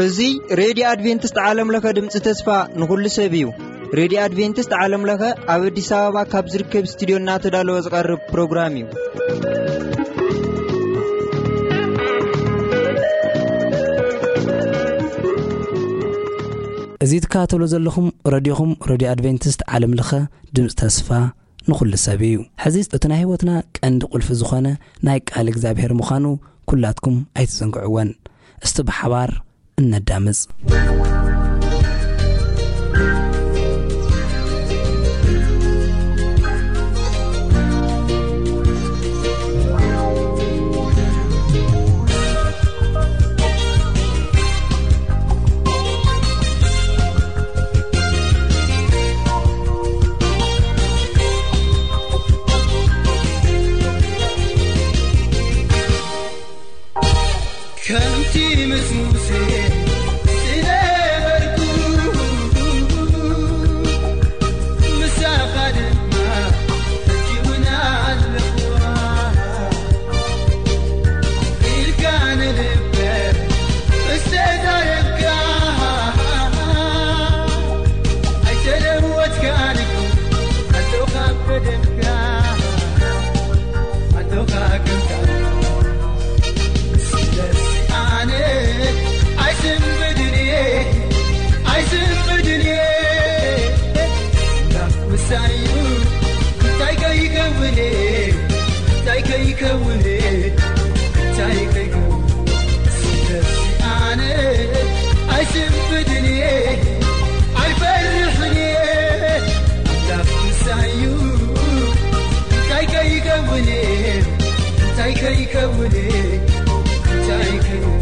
እዚ ሬድዮ ኣድቬንቲስት ዓለም ለኸ ድምፂ ተስፋ ንኹሉ ሰብ እዩ። ሬድዮ ኣድቬንቲስት ዓለም ለኸ ኣብ ኣዲስ ኣበባ ካብ ዝርከብ ስቱዲዮ እናተዳለወ ዝቐርብ ፕሮግራም እዩ። እዚ ትከታተሉ ዘለኹም ረድዮኹም፣ ረድዮ ኣድቬንቲስት ዓለም ለኸ ድምፂ ተስፋ ንኹሉ ሰብ እዩ። ሕዚ እቲ ናይ ህይወትና ቀንዲ ቁልፊ ዝኾነ ናይ ቃል እግዚኣብሔር ምዃኑ ኩላትኩም ኣይትዘንግዕወን። እስቲ ብሓባር እነዳምፅ። ከምቲ ምስ ሙሴ ዝነበርኩ፣ ምሳኻ ድማ ሕጂ እውን ኣለኹ። ኢልካ ንልበ ምስ ተዛረብካ፣ ኣይተለወጥካን እኮ፣ ኣጆኻ ኣብ ቀደምካ፣ ኣጆኻ ከምካ። ስለዚ ኣነ ኣይስንብድን እየ፣ ኣይስንብድን እየ። ኣምላኽ ምሳይ እዩ፣ እንታይ ከይከውን እየ፣ እንታይ ከይከውን እየ፣ እንታይ ከይከውን። ስለዚ ኣነ ኣይስንብድን እየ፣ ኣይፈርሕን እየ። ኣምላኽ ምሳይ እዩ፣ እንታይ ከይከውን እየ፣ እንታይ ከይከውን እየ፣ እንታይ ከይከውን።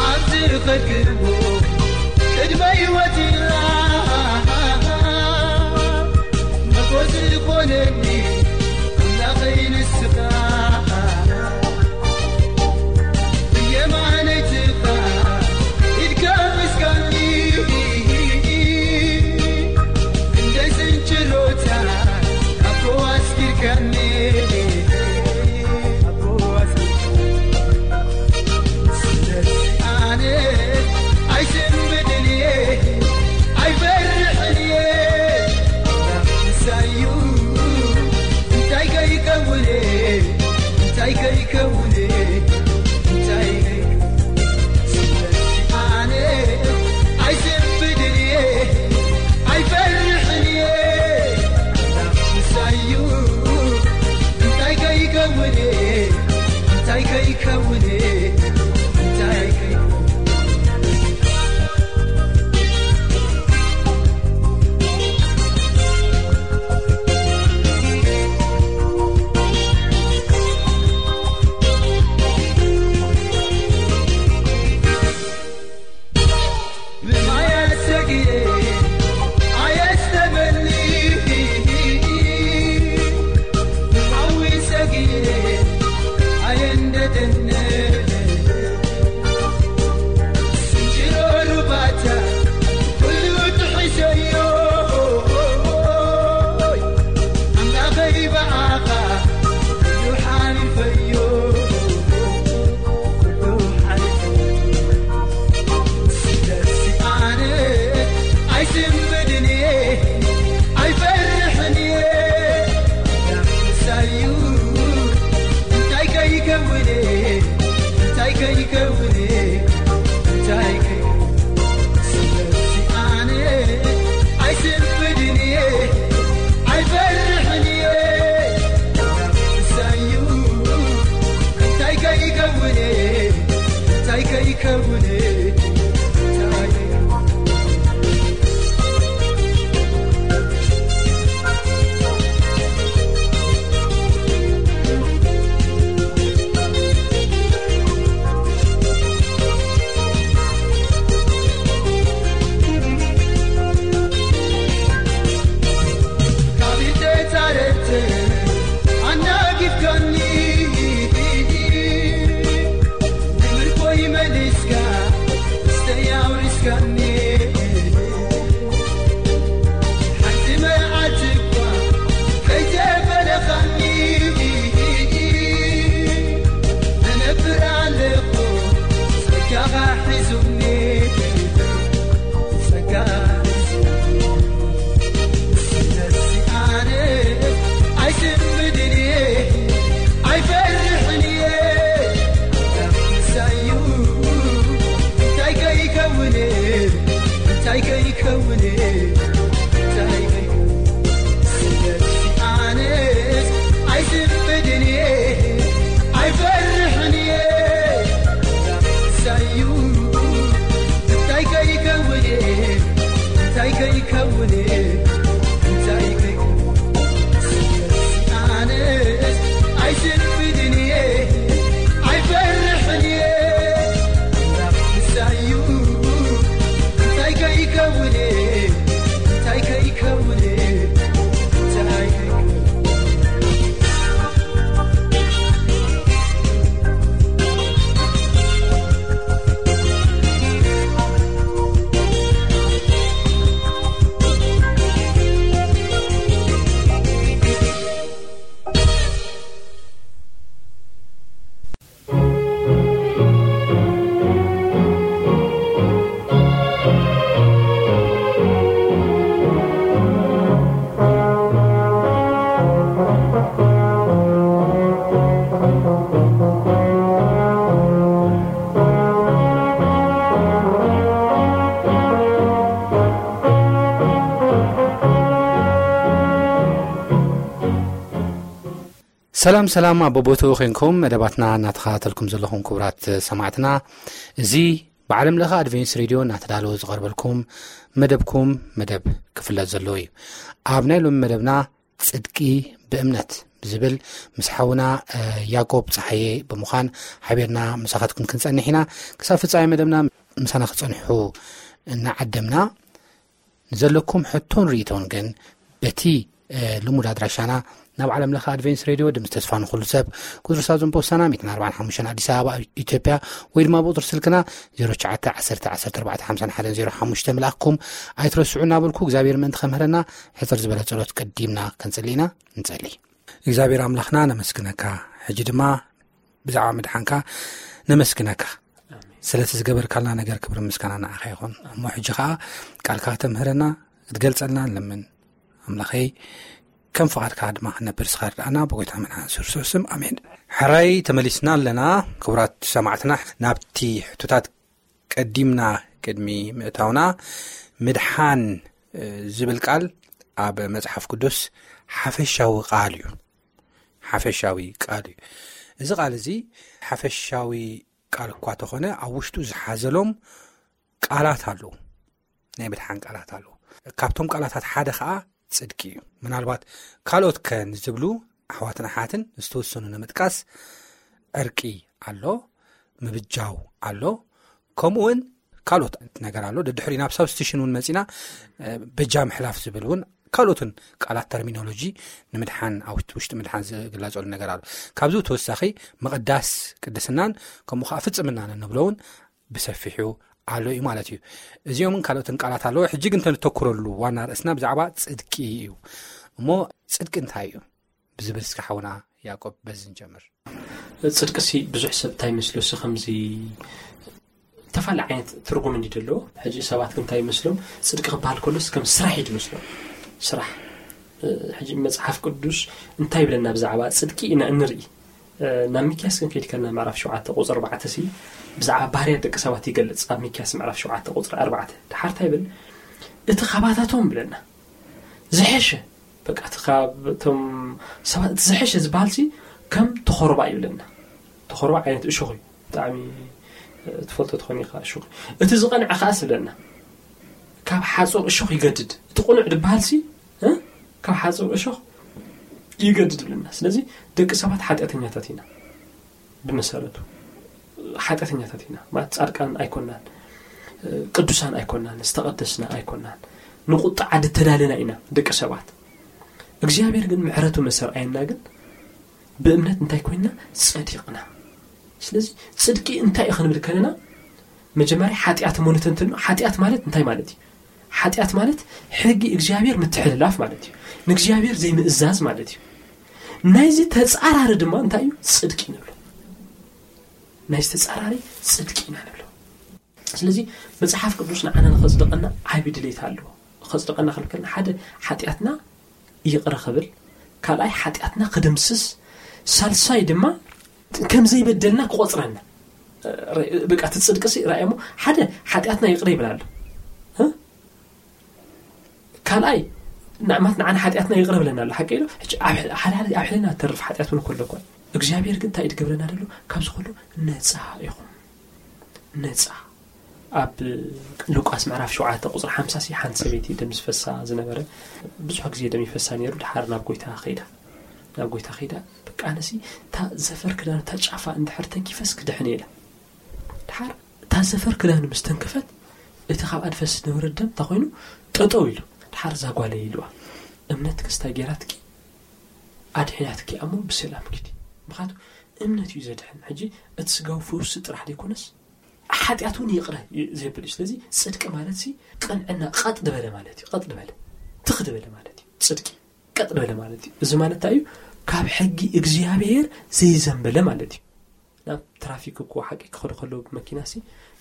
ኣብዚ ዝኸድክዎ ቅድመ ህይወት ኢላ መጎስ ዝኾነኒ ኣምላኸይ ንስኻ። ብየማነይ ትኻ ኢድካ ምስጋኒ፣ ክንደይ ስንችሎታ ኣቦ ኣስኪርካኒ፣ ኣቦ ኣስኪርካኒ። ስለዚ ኣነ ኣይስንብድን እየ፣ ኣይፈርሕን እየ። ኣምላኽ ምሳይ እዩ፣ እንታይ ከይከውን እየ፣ እንታይ ከይከውን እየ፣ እንታይ ከይከውን። ስለዚ ኣነ ኣይስንብድን እየ፣ ኣይፈርሕን እየ። ኣምላኽ ምሳይ እዩ፣ እንታይ ከይከውን እየ፣ እንታይ ከይከውን እየ፣ እንታይ ከይከውን። ብማያት ሰጊረ ኣየስተመኒ፣ ብሓዊ ሰጊረ ኣየንደደነ። ስንጭሮ ሩባታ ኩሉ ጥሒሰዮ፣ ኣምላኸይ ብኣኻ ኩሉ ሓሊፈዮ፣ ኩሉ ሓሊፈዮ። ስለዚ ኣነ ሓንቲ መዓልቲ እኳ ከይተፈለኻኒ፣ እነብር ኣለኹ ጸጋኻ ሒዙኒ፣ ጸጋኻ ሒዙኒ። ስለዚ ኣነ ኣይስንብድን እየ፣ ኣይፈርሕን እየ። ኣምላኽ ምሳዩ እንታይ ከይከውን፣ እንታይ ከይከውን፣ እንታይ ከይከውን። ስለዚ ኣነስ ኣይስንብድን እየ፣ ኣይፈርሕን እየ። ኣምላኽ ምሳዩ እንታይ ከይከውን፣ እንታይ ከይከውን፣ እንታይ ከይከውን። ስለዚ ኣነስ ኣይስንብድን እየ፣ ኣይፈርሕን እየ። ኣምላኽ ምሳዩ እንታይ ከይከውን፣ እንታይ ከይከውን፣ እንታይ ከይከውን። ሰላም ሰላም፣ ኣብ በቦትኡ ኮንኩም መደባትና እናተኸታተልኩም ዘለኹም ክቡራት ሰማዕትና፣ እዚ ብዓለም ለኸ ኣድቬንስ ሬድዮ እናተዳለወ ዝቐርበልኩም መደብኩም መደብ ክፍለጥ ዘለዎ እዩ። ኣብ ናይ ሎሚ መደብና ጽድቂ ብእምነት ብዝብል ምስ ሓውና፣ እ፣ ያዕቆብ ጸሓየ ብምዃን ሓቢርና ምሳኻትኩም ክንጸንሕ ኢና። ክሳብ ፍጻሜ መደብና ምሳና ክጸንሑ እናዓደምና፣ ንዘለኩም ሕቶን ርእይቶን ግን በቲ፣ እ፣ ልሙድ ኣድራሻና ናብ ዓለም ለኸ ኣድቬንስ ሬድዮ ድምፂ ተስፋ ንኹሉ ሰብ፣ ቁፅሪ ሳዞን ፖስታና ሚእትን ኣርባዓን ሓሙሽተን ኣዲስ ኣበባ ኢትዮጵያ፣ ወይ ድማ ብቁፅሪ ስልክና ዜሮ ትሽዓተ ዓሰርተ ዓሰርተ ኣርባዕተ ሓምሳን ሓደን ዜሮ ሓሙሽተ ምልኣኽኩም ኣይትረስዑ እናበልኩ እግዚኣብሔር ምእንቲ ከምህረና ሕፅር ዝበለ ጸሎት ቀዲምና ክንጽሊ ኢና። ንጸሊ። እግዚኣብሔር ኣምላኽና ነመስግነካ። ሕጂ ድማ ብዛዕባ ምድሓንካ ነመስግነካ። ስለቲ ዝገበርካልና ነገር ክብሪ ምስጋና ንዓኻ ይኹን። እሞ ሕጂ ኸኣ ቃልካ ከተምህረና ክትገልጸልና ንለምን። ኣምላኸይ ከም ፍቓድካ ድማ ክንነብር ስኻ ርድኣና ብጎይታ መድሓን ስርሱዕ ስም ኣሜን። ሕራይ ተመሊስና ኣለና። ክቡራት ሰማዕትና ናብቲ ሕቶታት ቀዲምና ቅድሚ ምእታውና ምድሓን፣ እ፣ ዝብል ቃል ኣብ መጽሓፍ ቅዱስ ሓፈሻዊ ቃል እዩ። ሓፈሻዊ ቃል እዩ። እዚ ቃል እዚ ሓፈሻዊ ቃል እኳ ተኾነ ኣብ ውሽጡ ዝሓዘሎም ቃላት ኣለዉ። ናይ ምድሓን ቃላት ኣለዉ። ካብቶም ቃላታት ሓደ ኸኣ ጽድቂ እዩ። ምናልባት ካልኦት ከ ንዝብሉ ኣሕዋትን ኣሓትን ዝተወሰኑ ንምጥቃስ ዕርቂ ኣሎ፣ ምብጃው ኣሎ፣ ከምኡ እውን ካልኦት ነገር ኣሎ። ደድሕሪ ናብ ሳብስቲሽን እውን መጺና፣ እ፣ በጃ ምሕላፍ ዝብል እውን ካልኦትን ቃላት ተርሚኖሎጂ ንምድሓን ኣብ ውሽጢ ምድሓን ዝግለጸሉ ነገር ኣሎ። ካብዚ ተወሳኺ ምቕዳስ ቅድስናን ከምኡ ከዓ ፍጽምናን እንብሎ እውን ብሰፊሑ ኣሎ እዩ ማለት እዩ። እዚኦምን ካልኦትን ቃላት ኣለዎ። ሕጂ ግን ተንተኩረሉ ዋና ርእስና ብዛዕባ ጽድቂ እዩ። እሞ ጽድቂ እንታይ እዩ ብዝብል እስከ ሓውና ያዕቆብ በዚ ንጀምር። ጽድቅሲ ብዙሕ ሰብ እንታይ ይመስሎ ሲ ከምዚ ተፈላለየ ዓይነት ትርጉም እንዲ ዘለዎ። ሕጂ ሰባት ግን እንታይ ይመስሎም? ጽድቂ ክበሃል ከሎስ ከም ስራሕ እዩ ዝመስሎም። ስራሕ። እ፣ ሕጂ መጽሓፍ ቅዱስ እንታይ ይብለና ብዛዕባ ጽድቂ ኢና እንርኢ። እ፣ ናብ ሚክያስ ግን ከይድከና ምዕራፍ ሸውዓተ ቁጽሪ ኣርባዕተ ሲ ብዛዕባ ባህርያት ደቂ ሰባት ይገልጽ። ኣብ ሚክያስ ምዕራፍ ሸውዓተ ቁጽሪ ኣርባዕተ ድሓር እንታይ ይብል? እቲ ካባታቶም ብለና ዝሐሸ፣ በቃ፣ እቲ ካብቶም ሰባት እቲ ዝሐሸ ዝበሃል ሲ ከም ተኾርባ ይብለና። ተኾርባ ዓይነት እሾኽ እዩ። ብጣዕሚ፣ እ፣ ትፈልጦ ትኾን ኢኻ እሾኽ። እቲ ዝቐንዐ ከኣስ ብለና ካብ ሓጹር እሾኽ ይገድድ። እቲ ቁኑዕ ዝበሃል ሲ፣ እ፣ ካብ ሓጹር እሾኽ ይገድድ ብለና። ስለዚ ደቂ ሰባት ሓጢኣተኛታት ኢና። ብመሰረቱ ሓጢኣተኛታት ኢና። ማለት ጻድቃን ኣይኮናን፣ እ፣ ቅዱሳን ኣይኮናን፣ ዝተቐደስና ኣይኮናን። ንቁጥዓ ዝተዳለና ኢና ደቂ ሰባት። እግዚኣብሔር ግን ምሕረቱ መሰርኣየና ግን ብእምነት እንታይ ኮይንና? ጸዲቕና። ስለዚ ጽድቂ እንታይ እዩ ክንብል ከለና መጀመርያ ሓጢኣት እሞ ንተንትን። ሓጢኣት ማለት እንታይ ማለት እዩ? ሓጢኣት ማለት ሕጊ እግዚኣብሔር ምትሕልላፍ ማለት እዩ። ንእግዚኣብሔር ዘይምእዛዝ ማለት እዩ። ናይዚ ተጻራሪ ድማ እንታይ እዩ? ጽድቂ ንብሎ። ናይዚ ተጻራሪ ጽድቂ ኢና ንብሎ። ስለዚ መጽሓፍ ቅዱስ ንዓና ንኸጽድቐና ዓቢ ድሌት ኣለዎ። ኸጽድቐና ክንከልና ሓደ ሓጢኣትና ይቕረ ክብል፣ ካልኣይ ሓጢኣትና ክድምስስ፣ ሳልሳይ ድማ ከም ዘይበደልና ክቆጽረና። በቃ እቲ ጽድቂ ሲ ራእሞ ሓደ ሓጢኣትና ይቕረ ይብል ኣሎ። ካልኣይ ንዕማት ንዓና ሓጢኣትና ይቕረ ብለና ኣሎ። ሓቂ ኢሉ ሕጂ ኣብ ሕልና ተርፍ ሓጢኣት እውን ከሎ እኳ እግዚኣብሔር ግን እንታይ ድገብረና ደሎ? ካብዚ ከሎ ነፃ ኢኹም። ነፃ ኣብ ሉቃስ ምዕራፍ ሸውዓተ ቁፅሪ ሓምሳ ሲ ሓንቲ ሰበይቲ ደም ዝፈሳ ዝነበረ ብዙሕ ግዜ ደም ይፈሳ ነይሩ። ድሓር ናብ ጎይታ ኸይዳ ናብ ጎይታ ኸይዳ በቃ ኣነሲ እታ ዘፈር ክዳን እታ ጫፋ እንድሕር ተንኪፈስ ክድሕን ኢላ። ድሓር እታ ዘፈር ክዳን ምስ ተንከፈት እቲ ካብ ኣድፈስ ዝነበረ ደም እንታይ ኮይኑ ጠጠው ኢሉ። ድሓር እዛ ጓለይ ኢልዋ እምነት ክስታይ ገይራትኪ ኣድሒናትኪ ኣሞ ብሰላም ኪዲ። ምክንያቱ እምነት እዩ ዘድሕን። ሕጂ እቲ ስጋዊ ፈውሲ ጥራሕ ዘይኮነስ ሓጢኣት እውን ይቕረ ዘብል እዩ። ስለዚ ጽድቂ ማለት ሲ ቅንዕና ቀጥ ዝበለ ማለት እዩ። ቀጥ ዝበለ ትኽ ዝበለ ማለት እዩ። ጽድቂ ቀጥ ዝበለ ማለት እዩ። እዚ ማለት እንታይ እዩ? ካብ ሕጊ እግዚኣብሔር ዘይዘንበለ ማለት እዩ። ናብ ትራፊክ እኮ ሓቂ ክኸዱ ከለዉ ብመኪና ሲ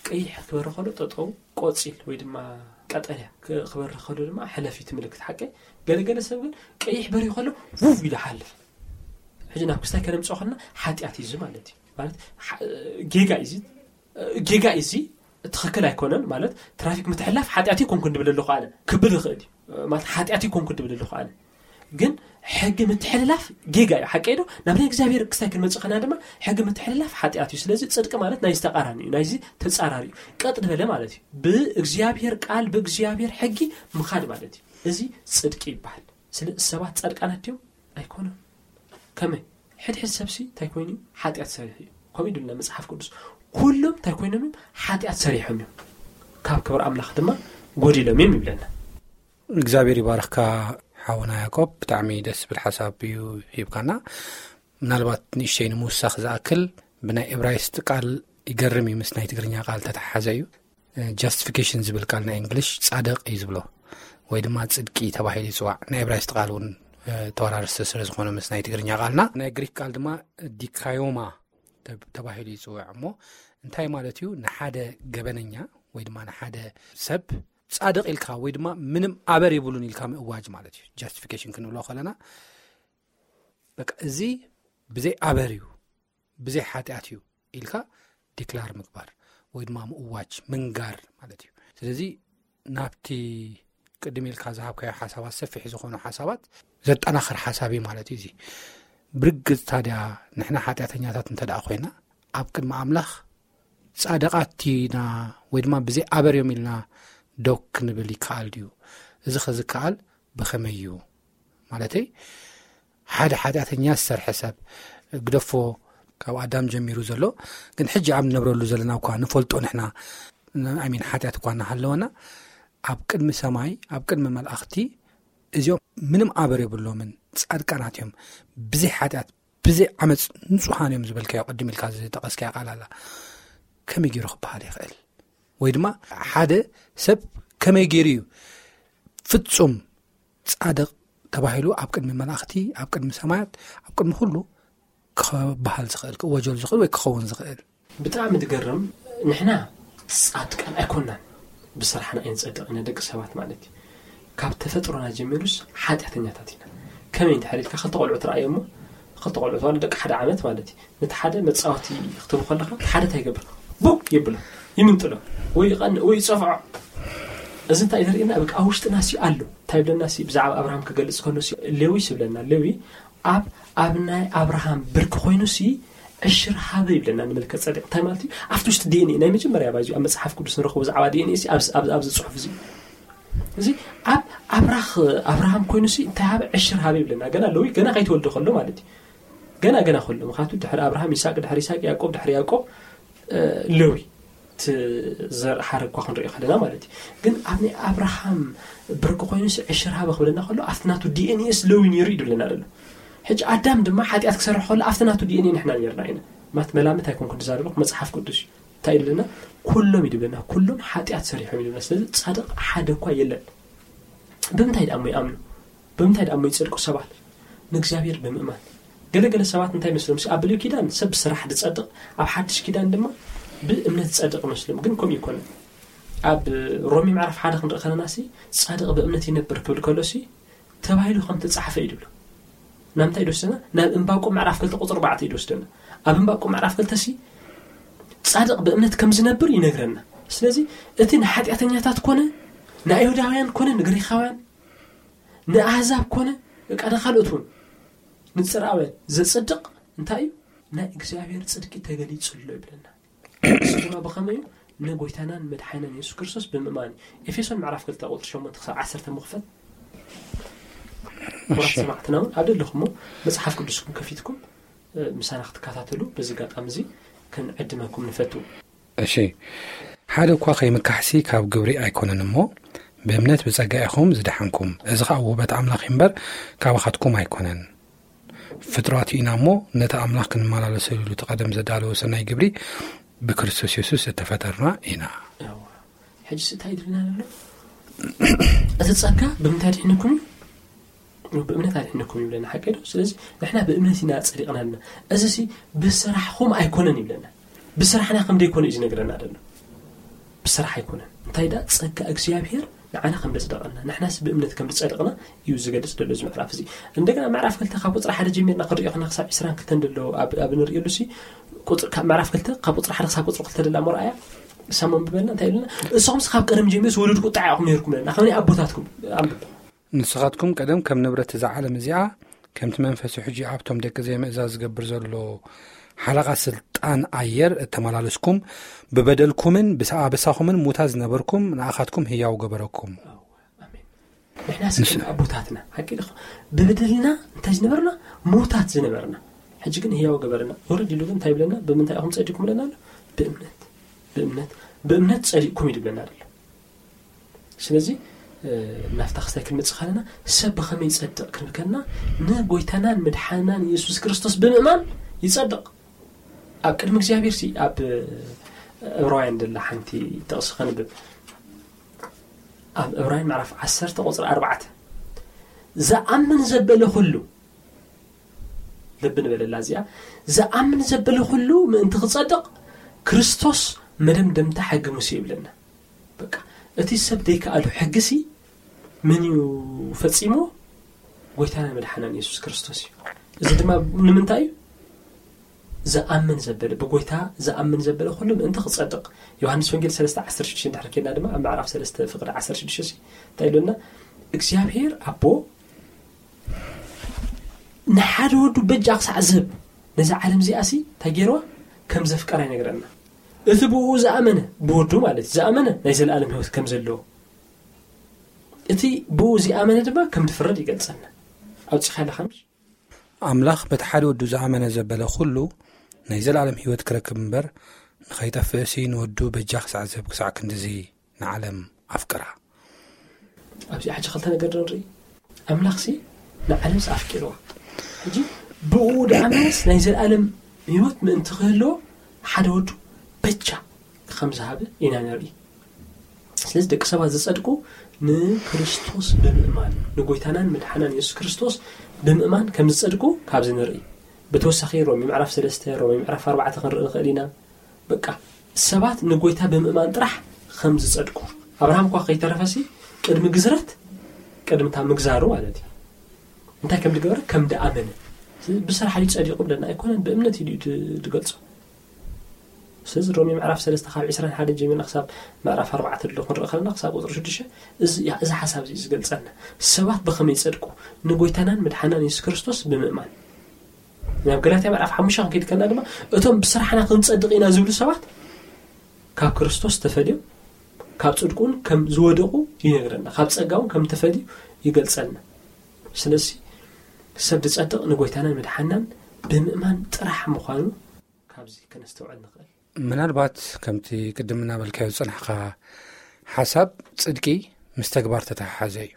ቀይሕ ክበሪ ከሎ ጠጠው ቆፂል ወይ ድማ ቀጠልያ ክበሪ ከሎ ድማ ሕለፊ እቲ ምልክት ሓቂ። ገለገለ ሰብ ግን ቀይሕ በሪ ከሎ ውብ ኢሉ ሓልፍ። ሕጂ ናብ ክስታይ ከነምፅኦ ከለና ሓጢኣት እዩ እዚ ማለት እዩ። ማለት ጌጋ እዩ እዚ። ጌጋ እዩ እዚ። ትኽክል ኣይኮነን ማለት ትራፊክ ምትሕላፍ ሓጢኣት ይኮንኩ እንድብል ኣለኹ ኣነ ክብል ይኽእል እዩ ማለት ሓጢኣት ይኮንኩ እንድብል ኣለኹ ኣነ ግን ሕጊ ምትሕልላፍ ጌጋ እዩ። ሓቀይ ዶ ናብ ናይ እግዚኣብሔር ክስታይ ክንመፅእ ከና ድማ ሕጊ ምትሕልላፍ ሓጢኣት እዩ። ስለዚ ፅድቂ ማለት ናይ ዝተቃራኒ እዩ። ናይዚ ተፃራሪ እዩ። ቀጥ ዝበለ ማለት እዩ። ብእግዚኣብሔር ቃል ብእግዚኣብሔር ሕጊ ምኻድ ማለት እዩ። እዚ ፅድቂ ይበሃል። ስለ ሰባት ጻድቃናት ድዮም? ኣይኮነን። ከመይ ሕድሕድ ሰብሲ እንታይ ኮይኑ ሓጢኣት ሰሪሑ እዩ። ከምኡ ይድልና መጽሓፍ ቅዱስ ኩሎም እንታይ ኮይኖም እዮም ሓጢኣት ሰሪሖም እዮም። ካብ ክብር ኣምላኽ ድማ ጎዲሎም እዮም ይብለና። እግዚኣብሔር ይባርኽካ ሓውና ያዕቆብ፣ ብጣዕሚ ደስ ዝብል ሓሳብ እዩ ሂብካና። ምናልባት ንእሽተይ ንምውሳኽ ዝኣክል ብናይ እብራይስጥ ቃል ይገርም እዩ ምስ ናይ ትግርኛ ቃል ተተሓሓዘ እዩ። ጃስቲፊኬሽን ዝብል ቃል ናይ እንግሊሽ ጻድቕ እዩ ዝብሎ ወይ ድማ ጽድቂ ተባሂሉ ይጽዋዕ። ናይ እብራይስጥ ቃል እውን ተወራርሲ ስለ ዝኾነ ምስ ናይ ትግርኛ ቃልና ናይ ግሪክ ቃል ድማ ዲካዮማ ተባሂሉ ይጽዋዕ። እሞ እንታይ ማለት እዩ? ንሓደ ገበነኛ ወይ ድማ ንሓደ ሰብ ጻድቕ ኢልካ ወይ ድማ ምንም ኣበር የብሉን ኢልካ ምእዋጅ ማለት እዩ። ጃስቲፊኬሽን ክንብሎ ከለና በቃ እዚ ብዘይ ኣበር እዩ ብዘይ ሓጢኣት እዩ ኢልካ ዲክላር ምግባር ወይ ድማ ምእዋጅ ምንጋር ማለት እዩ። ስለዚ ናብቲ ቅድም ኢልካ ዝሃብካዮ ሓሳባት ሰፊሕ ዝኾኑ ሓሳባት ዘጠናኽር ሓሳብ እዩ ማለት እዩ። እዚ ብርግጽ ታዲያ ንሕና ሓጢኣተኛታት እንተ ደኣ ኮይና ኣብ ቅድሚ ኣምላኽ ጻድቓት ኢና ወይ ድማ ብዘይ ኣበር እዮም ኢልና ዶ ክንብል ይከኣል ድዩ? እዚ ኸዝከኣል ብኸመይ እዩ? ማለተይ ሓደ ሓጢኣተኛ ዝሰርሐ ሰብ ግደፎ ካብ ኣዳም ጀሚሩ ዘሎ ግን ሕጂ ኣብ ንነብረሉ ዘለና እኳ ንፈልጦ ንሕና ኣሚን ሓጢኣት እኳ እናሃለወና ኣብ ቅድሚ ሰማይ ኣብ ቅድሚ መላእኽቲ እዚኦም ምንም ኣበር የብሎምን ጻድቃናት እዮም ብዘይ ሓጢኣት ብዘይ ዓመፅ ንጹሃን እዮም ዝበልካዮ ቅድም ኢልካ ዝጠቐስካዮ ቃል ኣላ ከመይ ገይሩ ክበሃል ይኽእል? ወይ ድማ ሓደ ሰብ ከመይ ገይሩ እዩ ፍጹም ጻድቕ ተባሂሉ ኣብ ቅድሚ መላእኽቲ ኣብ ቅድሚ ሰማያት ኣብ ቅድሚ ኩሉ ክበሃል ዝኽእል ክወጀል ዝኽእል ወይ ክኸውን ዝኽእል? ብጣዕሚ ዝገርም። ንሕና ጻድቃን ኣይኮናን ብስራሕና ኣይንጸድቕ ኢና ደቂ ሰባት ማለት እዩ። ካብ ተፈጥሮና ጀሚሩስ ሓጢኣተኛታት ኢና። ከመይ እንድሕር ኢልካ ክልተ ቆልዑ ትረኣዮ እሞ ክልተ ቆልዑ ተዋለ ደቂ ሓደ ዓመት ማለት እዩ። ነቲ ሓደ መጻወቲ ክትህቡ ከለኻ እቲ ሓደ እንታይ ይገብር? ቡክ ይብሎ ይምንጥሎ ወይ ይቐንእ ወይ ይጸፍዖ። እዚ እንታይ ዘርእየና? በቃ ኣብ ውሽጥና ሲ ኣሎ እንታይ ይብለና ሲ ብዛዕባ ኣብርሃም ክገልጽ ከሎ ሲ ሌዊ ይብለና። ሌዊ ኣብ ኣብ ናይ ኣብርሃም ብርኪ ኮይኑ ሲ ዕሽር ሃበ ይብለና። ንመልከ ጸደቅ እንታይ ማለት እዩ? ኣብቲ ውሽጢ ዲኤንኤ ናይ መጀመርያ ባዚ ኣብ መጽሓፍ ቅዱስ ንረኽቦ ብዛዕባ ዲኤንኤ ሲ ኣብዚ ጽሑፍ እዚ እዚ ኣብ ኣብራኽ ኣብርሃም ኮይኑ ሲ እንታይ ሃበ ዕሽር ሃበ ይብለና። ገና ሌዊ ገና ከይተወልደ ከሎ ማለት እዩ። ገና ገና ከሎ ምክንያቱ ድሕሪ ኣብርሃም ይስሐቅ ድሕሪ ይስሐቅ ያዕቆብ ድሕሪ ያዕቆብ ሌዊ ዘር ሓረግ እኳ ክንሪኦ ከለና ማለት እዩ። ግን ኣብ ናይ ኣብርሃም ብርኪ ኮይኑ ሲ ዕሽር ሃበ ክብለና ከሎ ኣብቲ ናቱ ዲኤንኤ ስ ሌዊ ነይሩ እዩ ድብለና ዘሎ። ሕጂ ኣዳም ድማ ሓጢኣት ክሰርሕ ከሎ ኣብቲ ናቱ ዲኤንኤ ንሕና ነርና ኢና። ማት መላምት ኣይኮንኩ ዝዛረበ መጽሓፍ ቅዱስ እዩ። እንታይ ኢለና? ኩሎም እዩ ድብለና፣ ኩሎም ሓጢኣት ሰሪሖም እዩ ድብለና። ስለዚ ጻድቕ ሓደ እኳ የለን። ብምንታይ ደኣ እሞ ይኣምኑ? ብምንታይ ደኣ እሞ ይጸድቁ ሰባት? ንእግዚኣብሔር ብምእማን። ገለገለ ሰባት እንታይ መስሎም? ኣብ ብሉይ ኪዳን ሰብ ብስራሕ ዝጸድቕ፣ ኣብ ሓድሽ ኪዳን ድማ ብእምነት ዝጸድቕ መስሎም። ግን ከምኡ ይኮነ። ኣብ ሮሜ ምዕራፍ ሓደ ክንርኢ ከለና ሲ፣ ጻድቕ ብእምነት ይነብር ክብል ከሎ ሲ፣ ተባሂሉ ከም ተጻሕፈ እዩ ድብሎ። ናብ እንታይ ይወስደና? ናብ እምባቆም ምዕራፍ ክልተ ቁጽሪ ኣርባዕተ እዩ ድወስደና። ኣብ እምባቆም ምዕራፍ ክልተ ሲ፣ ጻድቕ ብእምነት ከም ዝነብር ይነግረና። ስለዚ እቲ ንሓጢኣተኛታት ኮነ፣ ንኣይሁዳውያን ኮነ፣ ንግሪኻውያን፣ ንኣህዛብ ኮነ፣ በቃ ንኻልኦት እውን፣ ንጽርኣውያን ዘጽድቕ እንታይ እዩ? ናይ እግዚኣብሔር ጽድቂ ተገሊጹ ኣሎ ይብለና። እሱ ድማ ብኸመይ እዩ? ንጎይታናን መድሓናን የሱስ ክርስቶስ ብምእማን እዩ። ኤፌሶን ምዕራፍ ክልተ ቁጽሪ ሸሞንተ ክሳብ ዓሰርተ ምኽፈት። ክቡራት እሺ። ሰማዕትና እውን ኣብ ደለኹሞ መጽሓፍ ቅዱስኩም ከፊትኩም፣ እ፣ ምሳና ክትከታተሉ በዚ ኣጋጣሚ እዚ ክንዕድመኩም ንፈቱ። እሺ። ሓደ እኳ ከይምካሕሲ ካብ ግብሪ ኣይኮነን እሞ፣ ብእምነት ብጸጋ ኢኹም ዝደሓንኩም። እዚ ኸኣ ውህበት ኣምላኽ እዩ እምበር፣ ካባኻትኩም ኣይኮነን። ፍጥረት ኢና እሞ፣ ነቲ ኣምላኽ ክንመላለሰሉ እቲ ቀደም ዘዳለወ ሰናይ ግብሪ ብክርስቶስ የሱስ እተፈጠርና ኢና። ያዋ። ሕጂ እንታይ ይድልና ኣሎ? እቲ ጸጋ ብምንታይ ድሒንኩም እዩ? ብእምነት ኣድሒንኩም ይብለና፣ ሓቂ ዶ? ስለዚ ንሕና ብእምነት ኢና ጸዲቕና ኣለና። እዚ ሲ ብስራሕኹም ኣይኮነን ይብለና። ብስራሕና ከም ዘይኮነ እዩ ዝነግረና ዘሎ። ብስራሕ ኣይኮነን። እንታይ ደኣ? ጸጋ እግዚኣብሔር ንዓና ከም ዘጽደቐና፣ ንሕናስ ብእምነት ከም ዝጸደቕና እዩ ዝገልጽ ዘሎ እዚ ምዕራፍ እዚ። እንደገና ምዕራፍ ክልተ ካብ ቁጽሪ ሓደ ጀሚርና ክንሪኦ ከለና ክሳብ ዕስራን ክልተን ዘሎ ኣብ፣ ኣብ ንርእየሉ ሲ፣ ቁጽሪ፣ ካብ ምዕራፍ ክልተ ካብ ቁጽሪ ሓደ ክሳብ ቁጽሪ ክልተ ደላ መርኣያ፣ ንሳ መንብበልና እንታይ ኢሉና? ንስኹምስ ካብ ቀደም ጀሚሩ ዝወለዱ ቁጥዓ ኢኹም ነይርኩም ለና፣ ከመይ ኣቦታትኩም። ኣንብብ። ንስኻትኩም ቀደም ከም ንብረት እዛ ዓለም እዚኣ፣ ከምቲ መንፈሱ ሕጂ ኣብቶም ደቂ ዘይምእዛዝ ዝገብር ዘሎ ሓለቓ ስልጣን ኣየር እተመላለስኩም፣ ብበደልኩምን ብሰ-፣ ኣበሳኹምን ሙታት ዝነበርኩም፣ ንኣኻትኩም ህያው ገበረኩም። ኣሜን። ንሕና ንስ- ስለ ኣቦታትና፣ ሓቂ ዶ? ብበደልና እንታይ ዝነበርና? ሙታት ዝነበርና። ሕጂ ግን ህያው ገበረና። ወረድ ኢሉ ግን እንታይ ይብለና? ብምንታይ ኢኹም ጸዲቅኩም ብለና ኣሎ? ብእምነት። ብእምነት፣ ብእምነት ጸዲቅኩም እዩ ዝብለና ዘሎ። ስለዚ፣ እ፣ ናብታ ክስታይ ክንመጽእ ከለና፣ ሰብ ብኸመይ ይጸድቕ ክንብል ከለና፣ ንጎይታናን መድሓናን የሱስ ክርስቶስ ብምእማን ይጸድቕ። ኣብ ቅድሚ እግዚኣብሔር ሲ፣ ኣብ ዕብራውያን ደላ ሓንቲ ጥቕሲ ከንብብ። ኣብ ዕብራውያን ምዕራፍ ዓሰርተ ቁጽሪ ኣርባዕተ፣ "ዝኣምን ዘበለ ኩሉ"፣ ልቢ ንበለላ እዚኣ፣ "ዝኣምን ዘበለ ኩሉ ምእንቲ ክጸድቕ፣ ክርስቶስ መደምደምታ ሕጊ ሙሴ" ይብለና። በቃ፣ እቲ ሰብ ዘይከኣሉ ሕጊ ሲ መን እዩ ፈጺሞ? ጎይታና መድሓናን የሱስ ክርስቶስ እዩ። እዚ ድማ ንምንታይ እዩ? ዝኣምን ዘበለ፣ ብጎይታ ዝኣምን ዘበለ ኩሉ ምእንቲ ክጸድቕ። ዮሃንስ ወንጌል ሰለስተ ዓሰርተ ሽዱሽተ እንድሕር ኬድና ድማ፣ ኣብ ምዕራፍ ሰለስተ ፍቕዲ ዓሰርተ ሽዱሽተ ሲ እንታይ ኢሉና? እግዚኣብሔር ኣቦ ንሓደ ወዱ በጃ ክሳዕ ዝህብ፣ ነዛ ዓለም እዚኣ ሲ እንታይ ገይርዋ? ከም ዘፍቀራ ይነግረና። እቲ ብኡ ዝኣመነ፣ ብወዱ ማለት እዩ፣ ዝኣመነ ናይ ዘለኣለም ህይወት ከም ዘለዎ፣ እቲ ብኡ ዝኣመነ ድማ ከም ዝፍረድ ይገልጸና። ኣውጺኻ ኣለኻ ምሽ? ኣምላኽ በቲ ሓደ ወዱ ዝኣመነ ዘበለ ኩሉ ናይ ዘለኣለም ህይወት ክረክብ እምበር፣ ንኸይጠፍእሲ ንወዱ በጃ ክሳዕ ዝህብ ክሳዕ ክንድዚ ንዓለም ኣፍቅራ። ኣብዚ ሕጂ ክልተ ነገር ዶ ንርኢ? ኣምላኽሲ ንዓለምስ ኣፍቂርዋ። ሕጂ ብኡ ደኣ መለስ ናይ ዘለኣለም ህይወት ምእንቲ ክህልዎ ሓደ ወዱ በጃ ከም ዝሃበ ኢና ንርኢ። ስለዚ ደቂ ሰባት ዝጸድቁ ንክርስቶስ ብምእማን፣ ንጎይታናን መድሓናን የሱስ ክርስቶስ ብምእማን ከም ዝጸድቁ ካብዚ ንርኢ። ብተወሳኺ ሮሜ ምዕራፍ ሰለስተ፣ ሮሜ ምዕራፍ ኣርባዕተ ክንርኢ ንኽእል ኢና። በቃ ሰባት ንጎይታ ብምእማን ጥራሕ ከም ዝጸድቁ። ኣብርሃም እኳ ከይተረፈሲ ቅድሚ ግዝረት፣ ቅድሚ እታ ምግዛሩ ማለት እዩ። እንታይ ከም ዝገበረ? ከም ዝኣመነ። ስለዚ ብስራሕ ድዩ ጸዲቑ ብለና ኣይኮነን፣ ብእምነት እዩ ድዩ ድ-፣ ዝገልጾ። ስለዚ ሮሜ ምዕራፍ ሰለስተ ካብ ዕስራን ሓደን ጀሚርና ክሳብ ምዕራፍ ኣርባዕተ ዘሎ ክንርኢ ከለና ክሳብ ቁጽሪ ሽዱሽተ እዚ፣ እዚ ሓሳብ እዚ እዩ ዝገልጸልና። ሰባት ብኸመይ ይጸድቁ? ንጎይታናን መድሓናን የሱስ ክርስቶስ ብምእማን። ናብ ገላትያ ምዕራፍ ሓሙሽተ ክንከይድ ከለና ድማ እቶም ብስራሕና ክንጸድቕ ኢና ዝብሉ ሰባት ካብ ክርስቶስ ተፈልዮም ካብ ጽድቁን ከም ዝወደቑ ይነግረና። ካብ ጸጋውን ከም ተፈልዩ ይገልጸልና። ስለዚ ሰብ ዝጸድቕ ንጎይታናን መድሓናን ብምእማን ጥራሕ ምዃኑ ካብዚ ከነስተውዕል ንኽእል። ምናልባት ከምቲ ቅድም እናበልካዮ ዝጸናሕካ ሓሳብ ጽድቂ ምስ ተግባር ተተሓሓዘ እዩ።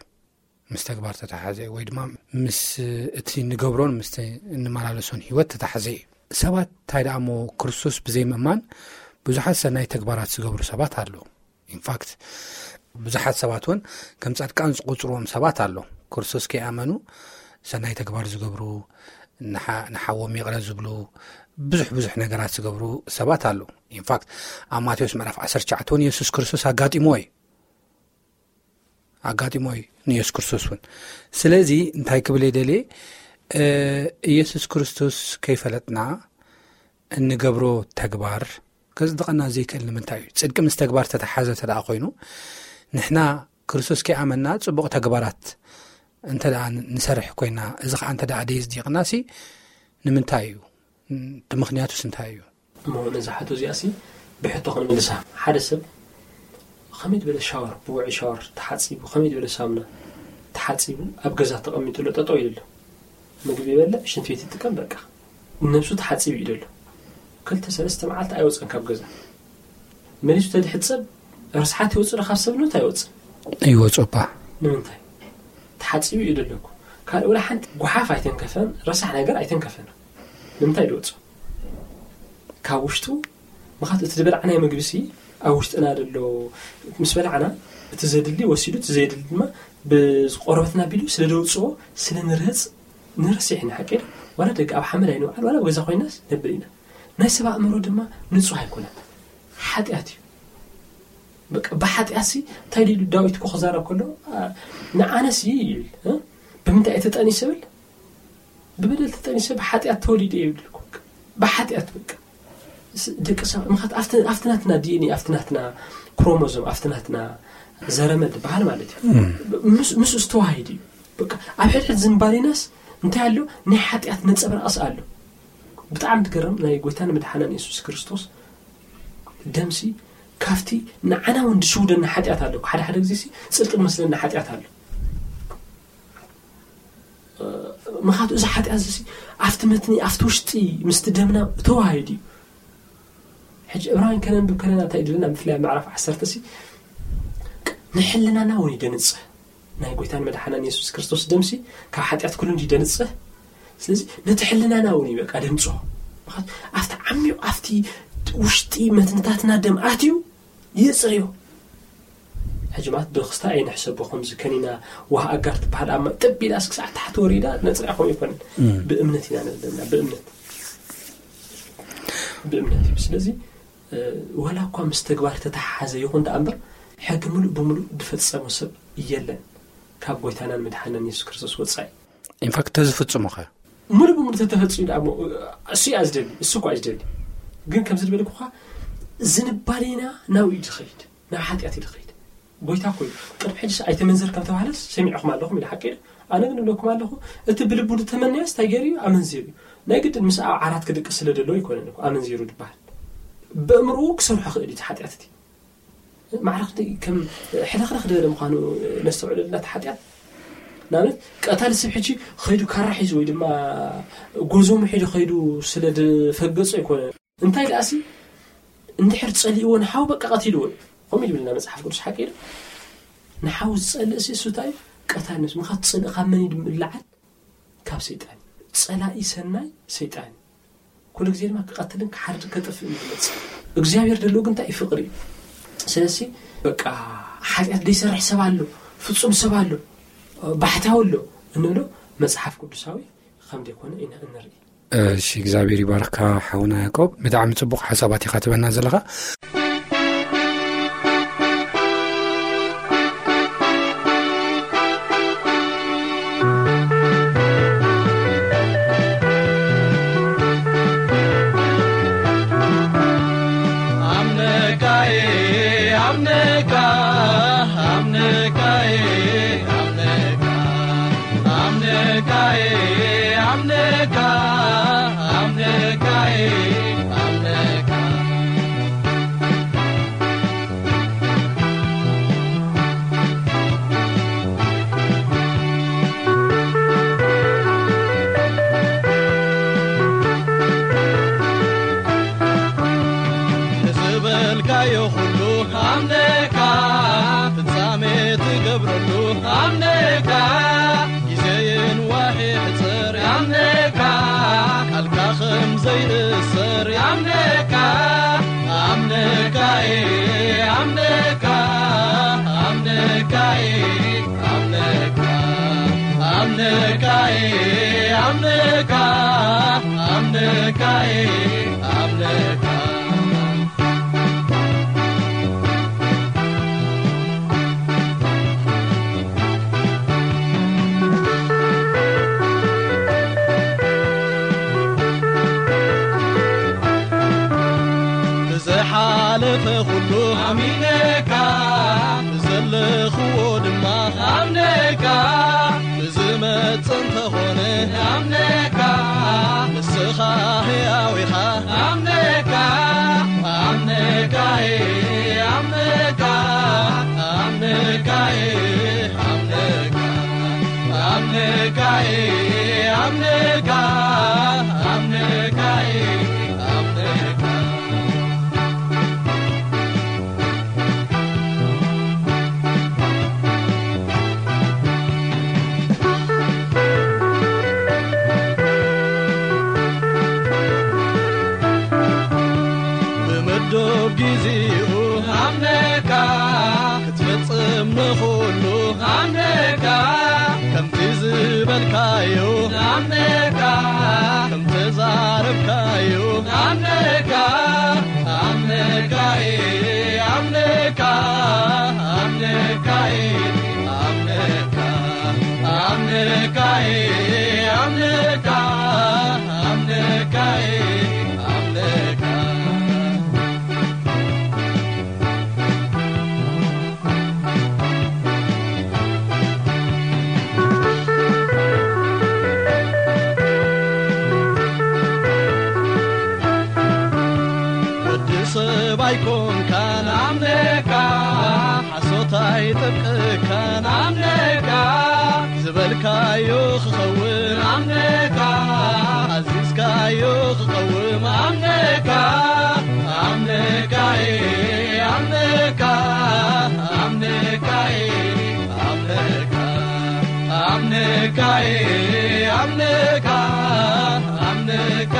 ምስ ተግባር ተተሓሓዘ እዩ፣ ወይ ድማ ምስ እቲ ንገብሮን ምስ እንመላለሶን ህይወት ተተሓዘ እዩ። ሰባት እንታይ ደኣ እሞ ክርስቶስ ብዘይምእማን ብዙሓት ሰናይ ተግባራት ዝገብሩ ሰባት ኣለዉ። ኢንፋክት ብዙሓት ሰባት እውን ከም ጻድቃን ዝቆጽርዎም ሰባት ኣሎ። ክርስቶስ ከይኣመኑ ሰናይ ተግባር ዝገብሩ፣ ንሓ- ንሓዎም ይቕረ ዝብሉ፣ ብዙሕ ብዙሕ ነገራት ዝገብሩ ሰባት ኣለዉ። ኢንፋክት ኣብ ማቴዎስ ምዕራፍ ዓሰርተ ትሽዓተ እውን የሱስ ክርስቶስ ኣጋጢሞ እዩ። ኣጋጢሞ እዩ ንየሱስ ክርስቶስ እውን። ስለዚ እንታይ ክብል እየ ደልየ? ኢየሱስ ክርስቶስ ከይፈለጥና እንገብሮ ተግባር ከጽድቐና ዘይክእል ንምንታይ እዩ? ጽድቂ ምስ ተግባር ተተሓዘ እንተ ደኣ ኮይኑ፣ ንሕና ክርስቶስ ከይኣመንና ጽቡቕ ተግባራት እንተ ደኣ ንሰርሕ ኮይና፣ እዚ ኸኣ እንተ ደኣ ደየጽዲቕናሲ ንምንታይ እዩ? እቲ ምኽንያቱስ እንታይ እዩ? እሞ ነዛ ሕቶ እዚኣሲ ብሕቶ ክንምልሳ። ሓደ ሰብ ከመይ ዝበለ ሻወር፣ ብውዑይ ሻወር ተሓጺቡ፣ ከመይ ዝበለ ሳሙና ተሓጺቡ፣ ኣብ ገዛ ተቐሚጡ ኣሎ፣ ጠጠው ኢሉ ኣሎ። ምግቢ ይበልዕ፣ ሽንቲ ቤት ይጥቀም፣ በቃ። ነብሱ ተሓጺቡ እዩ ዘሎ። ክልተ ሰለስተ መዓልቲ ኣይወጸን ካብ ገዛ። መሊሱ ተድሕጸብ፣ ርስሓት ይወጽእ ዶ ካብ ሰብነቱ ኣይወጽን? ይወጽእ እባ። ንምንታይ? ተሓጺቡ እዩ ዘሎ እኮ። ካልእ ወላ ሓንቲ ጓሓፍ ኣይተንከፈን፣ ረሳሕ ነገር ኣይተንከፈን። ንምንታይ ድወጽኦ? ካብ ውሽጡ፣ ምኻት እቲ ዝበላዕናዮ ምግቢ ሲ ኣብ ውሽጥና ደሎ፣ ምስ በላዕና እቲ ዘድሊ ወሲዱ፣ እቲ ዘየድሊ ድማ ብቆርበትና ኣቢሉ ስለ ደውጽኦ፣ ስለ ንርህጽ፣ ንረስሕ ኢና። ሓቂ ዶ? ዋላ ደገ ኣብ ሓመድ ኣይንውዓል፣ ዋላ ኣብ ገዛ ኮይናስ ነብል ኢና። ናይ ሰብ ኣእምሮ ድማ ንጹህ ኣይኮነን። ሓጢኣት እዩ። በቃ ብሓጢኣት ሲ እንታይ ኢሉ ዳዊት እኮ ክዛረብ ከሎ፣ ኣ፣ ንዓነስ ይብል፣ እ? ብምንታይ እየ ተጠኒሰ ይብል? ብበደል ተጠኒሰ ብሓጢኣት ተወሊደ ይብል እኮ። ብሓጢኣት በቃ። ስ-፣ ደቂ ሰባት፣ ምኽንያቱ ኣብቲ፣ ኣብቲ ናትና ዲ ኤን ኤ፣ ኣብቲ ናትና ክሮሞዞም፣ ኣብቲ ናትና ዘረመል ዝበሃል ማለት እዩ። እም። ምስ-፣ ምስኡ ዝተዋሃሂድ እዩ። በቃ ኣብ ሕድሕድ ዝንባሌናስ እንታይ ኣሎ? ናይ ሓጢኣት ነጸብራቕስ ኣሎ። ብጣዕሚ ትገርም፣ ናይ ጎይታን መድሓናን የሱስ ክርስቶስ ደምሲ ካብቲ ንዓና እውን ዝሽውደና ሓጢኣት ኣሎ። ሓደ ሓደ ግዜ ሲ ጽድቂ ዝመስለና ሓጢኣት ኣሎ። ምኻቱ እዚ ሓጢኣት እዚ ኣብቲ መትኒ፣ ኣብቲ ውሽጢ ምስቲ ደምና ተዋሃሂዱ እዩ። ሕጂ ዕብራውያን ከነንብብ ከለና እንታይ ይድልና? ብፍላይ ኣብ ምዕራፍ ዓሰርተ ሲ ንሕልናና እውን እዩ ደንጽህ። ናይ ጎይታን መድሓናን የሱስ ክርስቶስ ደምሲ ካብ ሓጢኣት ኩሉ እንዲ ደንጽህ። ስለዚ ነቲ ሕልናና እውን እዩ በቃ ደንጽሆ። ምኻቱ ኣብቲ ዓሚቕ፣ ኣብቲ ውሽጢ መትንታትና ደም ኣትዩ ይጽርዮ። ሕጂ ማለት ብክስታ ኣይንሕሰቦ፣ ከምዚ ከኒና ዋህ ኣጋር ትበሃል ኣብ ማይ ጥብ ኢላስ ክሳዕ ታሕቲ ወሪዳ ነጽርያ ከምኡ ኣይኮነን። እም። ብእምነት ኢና ንብል ዘለና፣ ብእምነት። ብእምነት እዩ። ስለዚ፣ እ፣ ዋላ እኳ ምስ ተግባር ተተሓሓዘ ይኹን ደኣ እምበር፣ ሕጊ ምሉእ ብምሉእ ዝፈጸመ ሰብ የለን ካብ ጎይታናን መድሓናን የሱስ ክርስቶስ ወጻኢ። ኢንፋክት ተዝፍጽሙ ኸ? ምሉእ ብምሉእ ተተፈጺሙ ደኣ እሞ፣ እሱ እያ ዝደሊ፣ እሱ እኳ እዩ ዝደሊ። ግን ከምዚ ዝበልኩኻ ዝንባሌና ናብኡ እዩ ዝኸይድ፣ ናብ ሓጢኣት እዩ ዝኸይድ። ጎይታ እኮ እዩ። ቅድሚ ሕጂ ኣይተመንዘር ከም ተባህለስ ሰሚዕኹም ኣለኹም ኢለ ሓቂ እዩ። ኣነ ግን እብለኩም ኣለኹ፣ እቲ ብልቡ ዝተመነየስ እንታይ ገይሩ እዩ? ኣመንዚሩ እዩ። ናይ ግድን ምስ ኣብ ዓራት ክድቅስ ስለ ደለዎ ኣይኮነን እኮ ኣመንዚሩ ዝበሃል። በእምርኡ ክሰርሖ ክእል እዩ እቲ ሓጢኣት እቲ። ማዕረ ክንደይ ከም ሕልኽልኽ ዝበለ ምዃኑ ነስተውዕለሉ ናቲ ሓጢኣት። ንኣብነት፣ ቀታሊ ሰብ ሕጂ ኸይዱ ካራ ሒዙ ወይ ድማ ጎዞሙ ሒዙ ኸይዱ ስለ ዝፈገጾ ኣይኮነን። እንታይ ደኣሲ፣ እንድሕር ጸሊእዎ ንሓው በቃ ቀቲልዎ እዩ። ከምኡ ይብልና መጽሓፍ ቅዱስ ሓቂ እዩ። ንሓው ዝጸልእ ሲ እሱ እንታይ እዩ? ቀታሊ ነብሲ። ምኻት ጽልእ ካብ መን እዩ ዝለዓል? ካብ ሰይጣን። ጸላኢ ሰናይ ሰይጣን እዩ። ኩሉ ግዜ ድማ ክቐትልን ክሓርድ ከጥፍእ እዩ ዝመጽእ። እግዚኣብሔር ደሎ ግን እንታይ እዩ? ፍቕሪ እዩ። ስለዚ በቃ ሓጢኣት ዘይሰርሕ ሰብ ኣሎ፣ ፍጹም ሰብ ኣሎ፣ ባሕታዊ ኣሎ እንብሎ መጽሓፍ ቅዱሳዊ ከም ዘይኮነ ኢና እንርኢ። እሺ፣ እግዚኣብሔር ይባርካ ሓውና ያዕቆብ። ብጣዕሚ ጽቡቕ ሓሳባት ኢኻ ትበና ዘለኻ። ኣምነካየ፣ ኣምነካ፣ ኣምነካየ፣ ኣምነካ፣ ኣምነካየ፣ ኣምነካ፣ ኣምነካየ፣ ኣምነካ። ንዝበልካዮ ኩሉ ኣምነካ፣ ፍጻሜ ትገብረሉ ኣምነካ፣ ግዜ የንዋሕ ይሕጽር ኣምነካ፣ ቃልካ ከም ዘይእሰር ኣምነካ፣ ኣምነ ኣምነካ፣ ኣምነካ፣ ኣምነካ፣ ኣምነካ፣ ኣምነካ፣ ኣምነካ፣ ኣምነካ። ብዝሓለፈ ኩሉ ኣሚነካ፣ ብዘለኽዎ ድማ ኣምነካ፣ ብዝመጽእ እንተኾነ ኣምነካ፣ ንስኻ ሕያው ኢኻ ኣምነካ፣ ኣምነካ፣ ኣምነካ፣ ኣምነካ፣ ኣምነካ፣ ኣምነካ፣ ኣምነካ፣ ኣምነካ፣ ኣምነካ። ብምዱብ ግዜኡ ኣምነካ ክትፍጽም ንኹሉ ኣምነካ ከምቲ ዝበልካዮ ኣምነካ ከምተዛረብካዮ ኣምነካ ኣምነካ ኣምነካ ኣምነካ ኣምነካ ኣምነካ ኣምነካ ኣምነካ ኣምነካ ወዲ ሰብ ኣይኮንካን ኣምነካ ሓሶት ኣይጠብቀካን ኣምነካ ዝበልካዮ ክኸውን ኣምነካ ኣዚዝካዮ ክቐውም ኣምነካ ኣምነካ ኣምነካ ኣምነካ ኣምነካ ኣምነካ ኣምነካ ኣምነካ